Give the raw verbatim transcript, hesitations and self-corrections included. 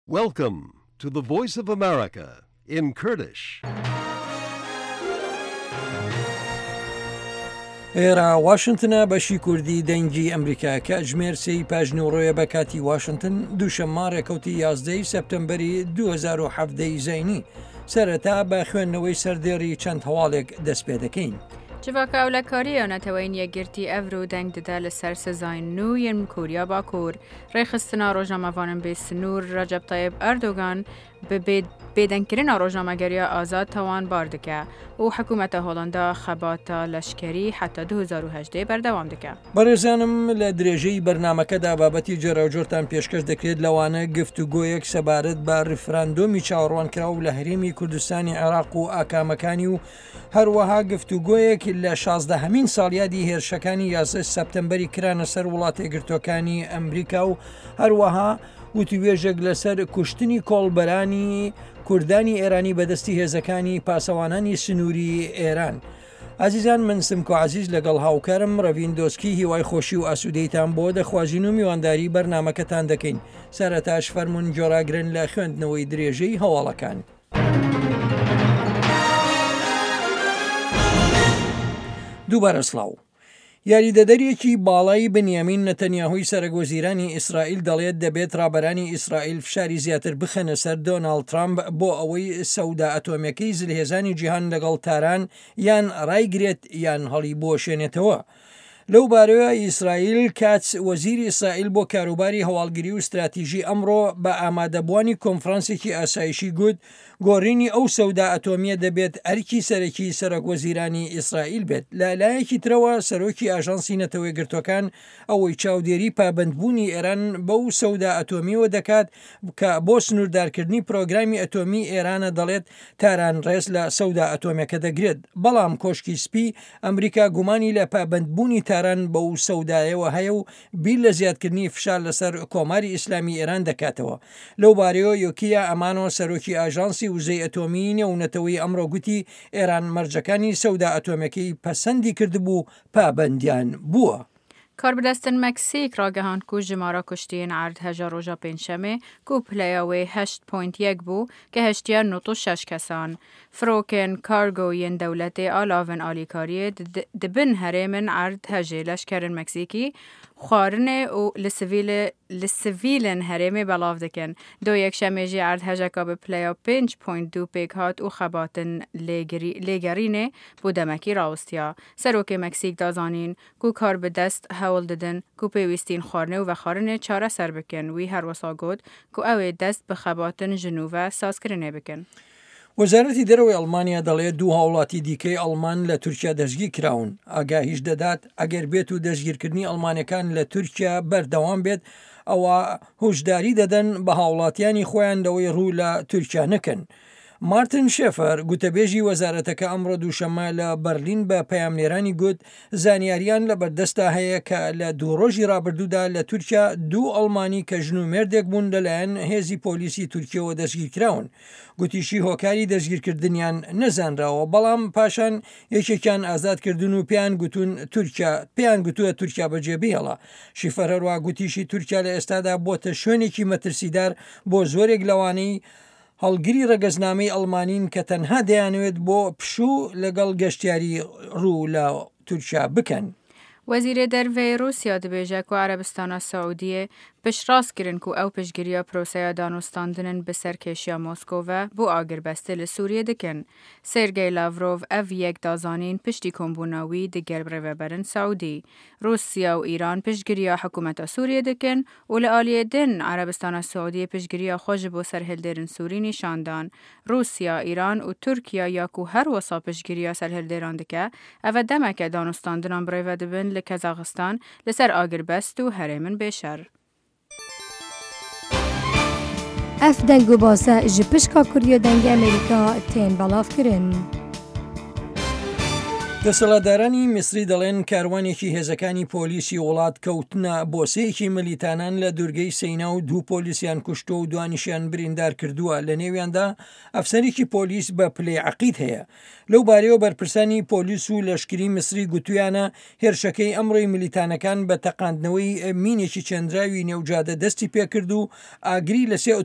Welcome to the Voice of America in Kurdish. ئێرە واشنتنە بەشی کوردی دەنگی ئەمریکا کاتژمێر سێی پاژنیوڕۆیە بە کاتی واشنتن دووشەممە ڕێکەوتی یازدەی سەپتەمبەری دوو هەزار و حەڤدە ی زەینی. سەرەتا بە خوێندنەوەی سەردێڕی چەند هەواڵێک دەست پێ دەکەین. جڤاکە ئەولەکاریە نەتەوەین یەکگرتی ئەڤرو دەنگ ددە لە سەر سزاین نوو yên کۆریا باکوور. ڕێکخستنا ڕۆژنامەڤانن بێ سنوور ڕەجەب تەیب ئەردۆگان bi bêdengkirina rojnamegeriya azad tawanbar dike û hikûmeta Holanda xebata leşkerî heta du hezar û hejdê berdewam dike. بەڕێزانم لە درێژەی بەرنامەکەدا بابەتی جۆراوجۆرتان پێشکەش دەکرێت لەوانە گفتوگۆیەک سەبارەت بە ڕیفراندۆمی چاوەڕوانکراو لە هەرێمی کوردستانی عێراق و ئاکامەکانی و هەروەها گفتوگۆیەک لە شازدەهەمین ساڵیادی هێرشەکانی یازدە سەپتەمبەری کرانە سەر وڵاتە یەکگرتووەکانی ئەمریکا و هەروەها وتوێژێک لەسەر کوشتنی کۆڵبەرانی کوردانی ئێرانی بەدەستی هێزەکانی پاسەوانانی سنووری ئێران. ئازیزان من سمکۆ عزیز لەگەڵ هاوکارم ڕەڤین دۆسکی هیوای خۆشی و ئاسوودەیتان بۆ دەخوازین و میوانداری بەرنامەکەتان دەکەین. سەرەتاش فەرمونون جۆراگرن لە خوێندنەوەی درێژەی هەواڵەکان. دووبارە سڵاو. یاریدەدەرێکی باڵای بنیامین نەتەنیاهۆی سەرەک وەزیرانی ئیسرائیل دەڵێت دەبێت ڕابەرانی ئیسرائیل فشاری زیاتر بخەنە سەر دۆناڵد ترامپ بۆ ئەوەی سەودا ئەتۆمیەکەی زلهێزانی جیهان لەگەڵ تاران یان ڕایگرێت یان هەڵی بۆشێنێتەوە. لەو بارەیە ئیسرائیل کاتس وەزیری ئیسرائیل بۆ کاروباری هەواڵگری و استراتیژی ئەمڕۆ بە ئامادەبووانی کۆنفرانسێکی ئاسایشی گوت گۆڕینی ئەو سەودا ئەتۆمیە دەبێت ئەرکی سەرەکی سەرۆک وەزیرانی ئیسرائیل بێت. لە لایەکی ترەوە سەرۆکی ئاژانسی نەتەوەیەکگرتووەکان ئەوەی چاودێری پابەندبوونی ئێران بەو سەودا ئەتۆمیەوە دەکات کە بۆ سنووردارکردنی پرۆگرامی ئەتۆمی ئێرانە دەڵێت تاران ڕێز لە سەودا ئەتۆمیەکە دەگرێت. بەڵام کۆشکی سپی ئەمریکا گومانی لە پابەندبوونی تاران بەو سەودایەوە هەیە و بیر لە زیادکردنی فشار لەسەر کۆماری ئیسلامی ئێران دەکاتەوە. لەو بارەیەوە یۆکیا ئەمانۆ سەرۆکی ئاژانسی وزەی ئەتۆمی نێونەتەوەی ئەمڕۆ گوتی ئێران مەرجەکانی سەودا ئەتۆمیەکەی پەسەندی کردبوو پابەندیان بووە. کاربەدەستن مەکسیک ڕاگەهاند کو ژمارە کوشتیên erdheja roja pêncşemê ku pileya wê heşt point yek bû gehiştiye nod û şeş kesan. Firokên kargo yên dewletê alavên alîkariyê dibin herêmên erdhejê leşkerên Meksîkî xwarinê û li sivîlê li sivîlên herêmê belav dikin. Do yekşemê jî erdhejeka bi pileya pênc point du pêk hat û xebatin lêgerînê bû demekî rawestiya. Serokê Meksîk da zanîn ku karbidest hewl didin ku pêwîstîn xwarinê û vexwarinê çareser bikin. Wî her wisa got ku ew ê dest bi xebatin ji nû ve sazkirinê bikin. وەزارەتی دەرەوەی ئەڵمانیا دەڵێت دوو هاوڵاتی دیکەی ئەڵمان لە تورکیا دەستگیر کراون. ئاگاهیش دەدات ئەگەر بێت و دەستگیرکردنی ئەڵمانەکان لە تورکیا بەردەوام بێت ئەوە هۆشداری دەدەن بە هاوڵاتیانی خۆیان لەوەی ڕوو لە تورکیا نەکەن. مارتن شێفەر گوتەبێژی وەزارەتەکە ئەمڕۆ دووشەممە لە بەرلین بە پەیامنێرانی گوت زانیاریان لە بەردەستا هەیە کە لە دوو ڕۆژی ڕابردوودا لە تورکیا دوو ئەڵمانی کە ژن و مێردێک بوون لەلایەن هێزی پۆلیسی تورکیەوە دەستگیرکراون. گوتیشی هۆکاری دەستگیرکردنیان نەزانراوە، بەڵام پاشان یەکێکیان ئازادکردن و پێیان گوتون تورکیا پێیان گوتووە تورکیا بەجێ بهێڵە. شیفەر هەروە گوتیشی تورکیا لە ئێستادا بۆتە شوێنێکی مەترسیدار بۆ زۆرێک لەوانەی هەڵگری ڕەگەزنامەی ئەڵمانین کە تەنها دەیانەوێت بۆ پشوو لەگەڵ گەشتیاری ڕوو لە تورکیا بکەن. وەزیرê Derveyê Rûsya dibêje ku Erebistana Saûdiyê piştrast kirin ku ew piştgiriya proseya danûstandinên bi serkêşiya Moskova bo agirbestê li Sûriyê dikin. Sergey Lavrov ev yek da zanîn piştî kombûna wî digel rêveberên Saûdî. Rûsya û Îran piştgiriya hikûmeta Sûriyê dikin û li aliyê din Erebistana Saûdiyê piştgiriya xwe ji bo serhildêrên Sûrî nîşan dan. Rûsya, Îran û Tirkiye ya ku her wisa piştgiriya serhildêran dike, ev e demeke danûstandinan birêve dibin li Kazaxistan li ser agirbest û herêmên bêşer. Ev deng û base ji pişka Kurdiya Dengê Amerîka tên belavkirin. دەسەڵاتدارانی میسری دەڵێن کاروانێکی هێزەکانی پۆلیسی وڵات کەوتنە بۆسەیەکی ملیتانان لە دوورگەی سەینا و دوو پۆلیسیان کوشتووە و دوانیشیان بریندار کردووە. لە نێویاندا ئەفسەرێکی پۆلیس بە پلەی عەقید هەیە. لەو بارەیەوە بەرپرسانی پۆلیس و لەشکری میسری گوتویانە هێرشەکەی ئەمڕۆی ملیتانەکان بە تەقاندنەوەی مینێکی چێندراوی نێوجادە دەستی پێکرد و ئاگری لە سێ